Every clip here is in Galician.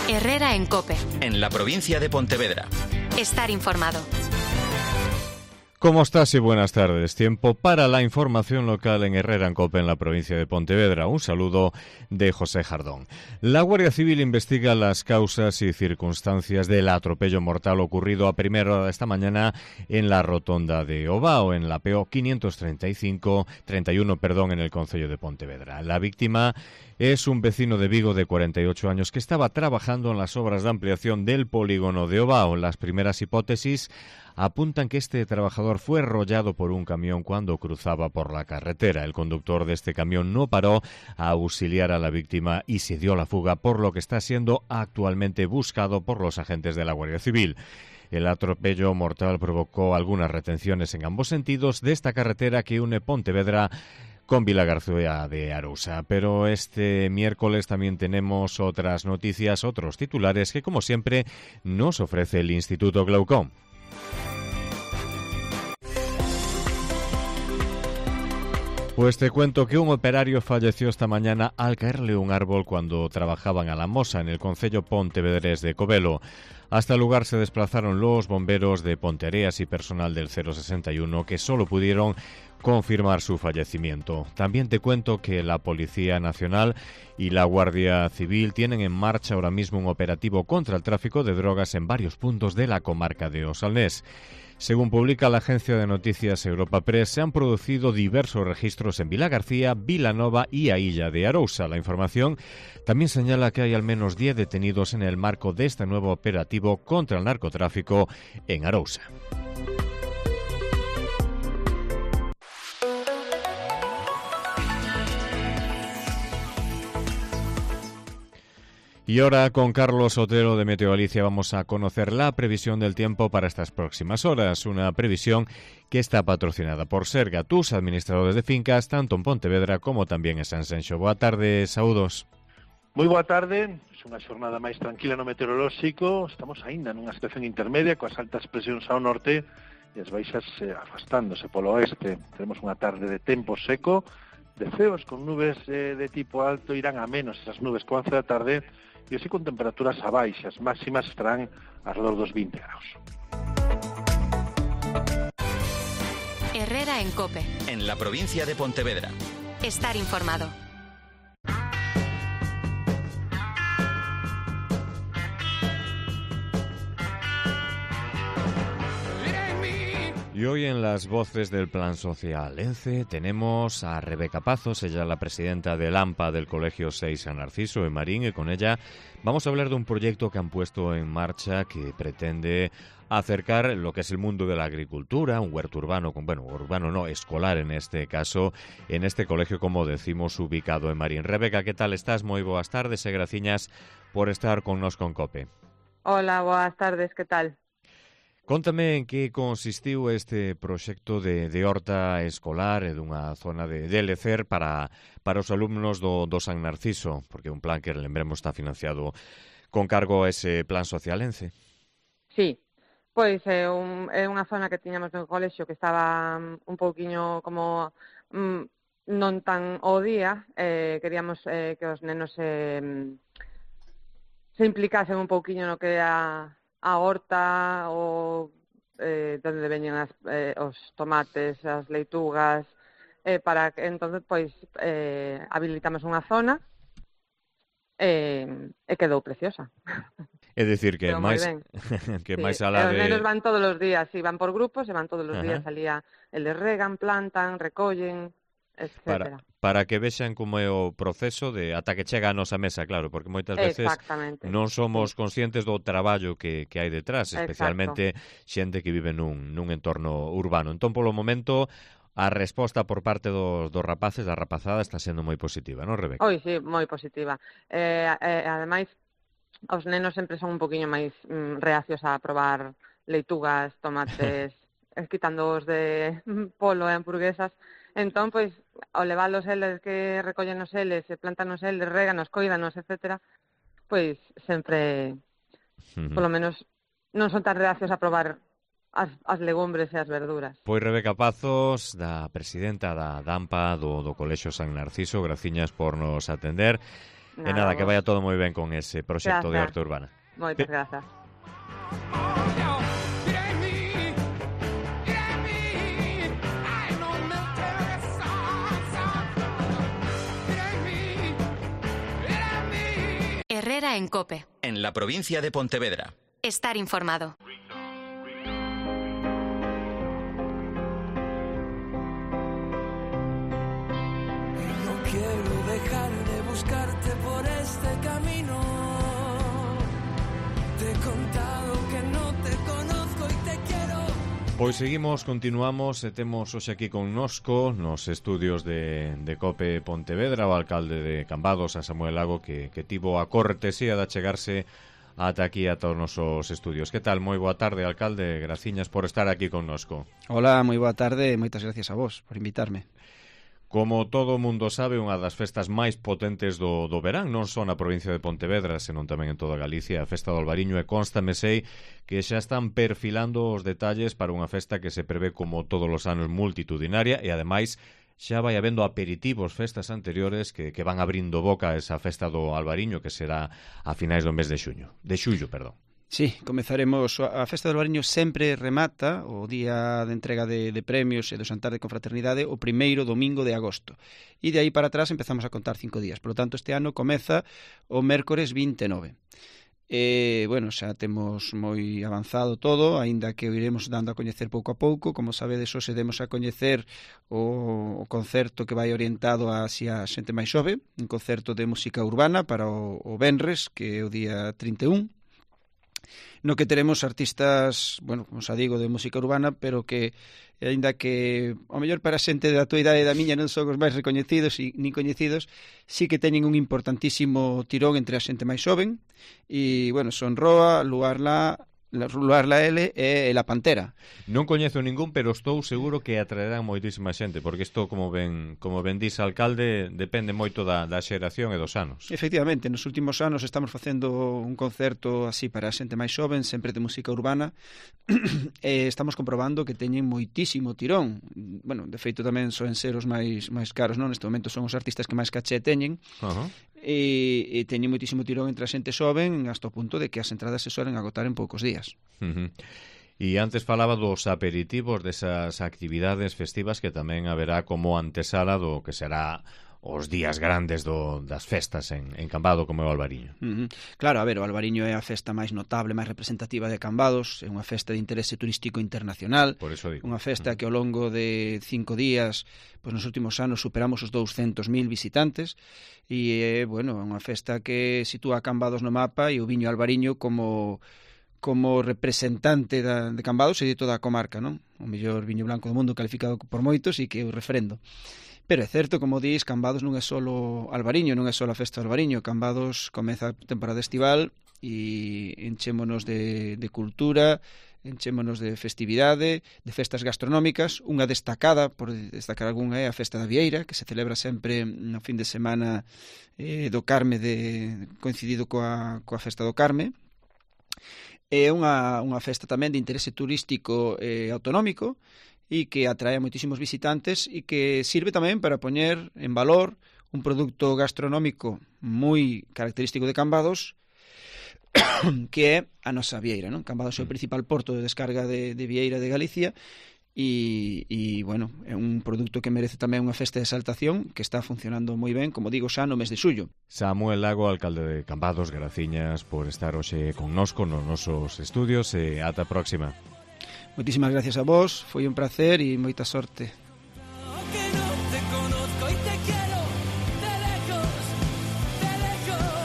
Herrera en COPE. En la provincia de Pontevedra. Estar informado. ¿Cómo estás y buenas tardes? Tiempo para la información local en Herrera en COPE en la provincia de Pontevedra. Un saludo de José Jardón. La Guardia Civil investiga las causas y circunstancias del atropello mortal ocurrido a primera hora de esta mañana en la rotonda de Ovao, en la PO 531, en el concello de Pontevedra. La víctima es un vecino de Vigo de 48 años que estaba trabajando en las obras de ampliación del polígono de Ovao. Las primeras hipótesis apuntan que este trabajador fue arrollado por un camión cuando cruzaba por la carretera. El conductor de este camión no paró a auxiliar a la víctima y se dio a la fuga, por lo que está siendo actualmente buscado por los agentes de la Guardia Civil. El atropello mortal provocó algunas retenciones en ambos sentidos de esta carretera que une Pontevedra con Vilagarcía de Arousa. Pero este miércoles también tenemos otras noticias, otros titulares que, como siempre, nos ofrece el Instituto Glaucón. Pues te cuento que un operario falleció esta mañana al caerle un árbol cuando trabajaban a la Mosa, en el concello pontevedrés de Covelo. Hasta el lugar se desplazaron los bomberos de Ponteareas y personal del 061 que solo pudieron confirmar su fallecimiento. También te cuento que la Policía Nacional y la Guardia Civil tienen en marcha ahora mismo un operativo contra el tráfico de drogas en varios puntos de la comarca de Osalnés. Según publica la agencia de noticias Europa Press, se han producido diversos registros en Vilagarcía, Vilanova y a Illa de Arousa. La información también señala que hay al menos 10 detenidos en el marco de este nuevo operativo contra el narcotráfico en Arousa. Y ahora con Carlos Otero de Meteo Galicia vamos a conocer la previsión del tiempo para estas próximas horas. Una previsión que está patrocinada por Serga, tus administradores de fincas, tanto en Pontevedra como tamén en Sanxenxo. Boa tarde, saúdos. Moi boa tarde, é unha xornada máis tranquila no meteorolóxico. Estamos aínda nunha situación intermedia coas altas presións ao norte e as baixas afastándose polo oeste. Tenemos unha tarde de tempo seco, de ceos con nubes de tipo alto, irán a menos esas nubes con 11 da tarde, e así con temperaturas a baixas, máximas estarán alrededor dos 20 graus. Herrera en COPE. En la provincia de Pontevedra. Estar informado. Y hoy en las voces del Plan Social ENCE tenemos a Rebeca Pazos, ella es la presidenta del AMPA del Colegio 6 San Narciso en Marín, y con ella vamos a hablar de un proyecto que han puesto en marcha que pretende acercar lo que es el mundo de la agricultura, un huerto urbano, escolar en este caso, en este colegio, como decimos, ubicado en Marín. Rebeca, ¿qué tal estás? Moi boas tardes e graciñas por estar connos con COPE. Hola, boas tardes, que tal? Contame en que consistiu este proxecto de horta escolar e dunha zona de lecer para os alumnos do San Narciso, porque é un plan que, lembremos, está financiado con cargo a ese Plan Social ENCE. Sí, pois é unha zona que tiñamos no colexio que estaba un pouquiño como non tan ao día, queríamos que os nenos se implicasen un pouquiño no que é a horta, ou donde veñen os tomates, as leitugas, para que entonces pois habilitamos unha zona e quedou preciosa. É dicir que máis que máis alá de... Os nenos van todos os días, si van por grupos, e van todos os días alía, eles regan, plantan, recollen, etcétera. Para que vexan como é o proceso de ata que chega a nosa mesa, claro, porque moitas veces non somos conscientes do traballo que hai detrás, especialmente xente que vive nun entorno urbano. Entón, polo momento, a resposta por parte dos rapaces, da rapazada, está sendo moi positiva, non, Rebeca? Oi, sí, moi positiva. Ademais, os nenos sempre son un poquinho máis reacios a probar leitugas, tomates, quitando os de polo e hamburguesas. Entón, pois, ao leválos eles que recollen os eles, plantan os eles, reganos, coídanos, etcétera, pois sempre, polo menos, non son tan reacios a probar as legumbres e as verduras. Pois Rebeca Pazos, da presidenta da AMPA do Colexio San Narciso, graciñas por nos atender. E nada, que vaya todo moi ben con ese proxecto de Arte Urbana. Moitas grazas. Herrera en COPE. En la provincia de Pontevedra. Estar informado. No quiero dejar de buscarte por este camino. Te he contado que no te conozco y te quiero. Pois continuamos e temos hoxe aquí connosco nos estudios de COPE Pontevedra o alcalde de Cambados, a Samuel Lago, que tivo a cortesía de achegarse ata aquí a todos os nosos estudios. Que tal? Moi boa tarde, alcalde, graciñas por estar aquí connosco. Hola, moi boa tarde e moitas gracias a vos por invitarme. Como todo o mundo sabe, unha das festas máis potentes do verán, non só na provincia de Pontevedra, senón tamén en toda Galicia, a festa do Albariño, e constame sei que xa están perfilando os detalles para unha festa que se prevé como todos os anos multitudinaria e ademais xa vai habendo aperitivos festas anteriores que van abrindo boca a esa festa do Albariño que será a finais do mes de xullo, perdón. Sí, comezaremos. A Festa do Albariño sempre remata o día de entrega de premios e do Xantar de Confraternidade o primeiro domingo de agosto. E de aí para atrás empezamos a contar 5 días. Por lo tanto, este ano comeza o mércores 29. Bueno, xa temos moi avanzado todo, aínda que o iremos dando a coñecer pouco a pouco. Como sabedes, hoxe demos a coñecer o concerto que vai orientado a xente máis xove, un concerto de música urbana para o venres, que é o día 31, no que teremos artistas, bueno, como xa digo, de música urbana, pero que, aínda que ao mellor para a xente da tua idade e da miña non son os máis recoñecidos nin coñecidos, sí que teñen un importantísimo tirón entre a xente máis xoven, e, bueno, son Roa, Luar La L e La Pantera. Non coñezo ningún, pero estou seguro que atraerán moitísima xente, porque isto, como ben dís, alcalde, depende moito da xeración e dos anos. Efectivamente, nos últimos anos estamos facendo un concerto así para a xente máis xoven, sempre de música urbana, e estamos comprobando que teñen moitísimo tirón. Bueno, de feito tamén soen ser os máis caros, non? Neste momento son os artistas que máis caché teñen. E teñen moitísimo tirón entre a xente xoven hasta o punto de que as entradas se suelen agotar en poucos días. E antes falaba dos aperitivos, desas actividades festivas que tamén haberá como antesala do que será os días grandes das festas en Cambado, como é o Albariño. Claro, a ver, o Albariño é a festa máis notable, máis representativa de Cambados, é unha festa de interese turístico internacional. Por eso digo. Unha festa que ao longo de 5 días, pois nos últimos anos superamos os 200.000 visitantes, e bueno, é unha festa que sitúa a Cambados no mapa e o viño Albariño como representante de Cambados e de toda a comarca, non? O mellor viño blanco do mundo calificado por moitos e que é o refrendo. Pero é certo, como dís, Cambados non é só Albariño, non é só a festa do Albariño. Cambados comeza a temporada estival e enchémonos de cultura, enchémonos de festividade, de festas gastronómicas. Unha destacada, por destacar algunha, é a Festa da Vieira, que se celebra sempre no fin de semana do Carme, coincidido coa Festa do Carme. É unha festa tamén de interese turístico autonómico, e que atrae a moitísimos visitantes e que sirve tamén para poñer en valor un produto gastronómico moi característico de Cambados, que é a nosa vieira, non? Cambados é o principal porto de descarga de vieira de Galicia e bueno, é un produto que merece tamén unha festa de exaltación que está funcionando moi ben, como digo, xa no mes de xullo. Samuel Lago, alcalde de Cambados, graciñas por estar hoxe connosco nos nosos estudios e ata a próxima. Moitísimas gracias a vos, foi un placer e moita sorte. Que no te conozco y te quiero de lejos, de lejos.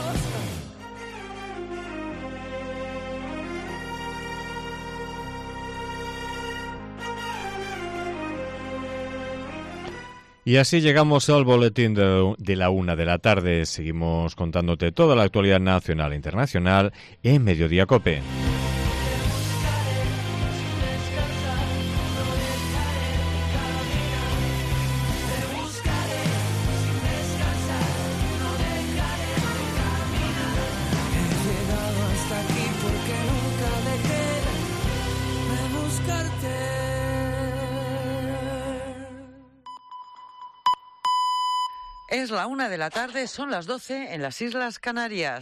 Y así llegamos al boletín de la 1 de la tarde. Seguimos contándote toda la actualidad nacional e internacional en Mediodía COPE. Es la 1 de la tarde, son las 12 en las Islas Canarias.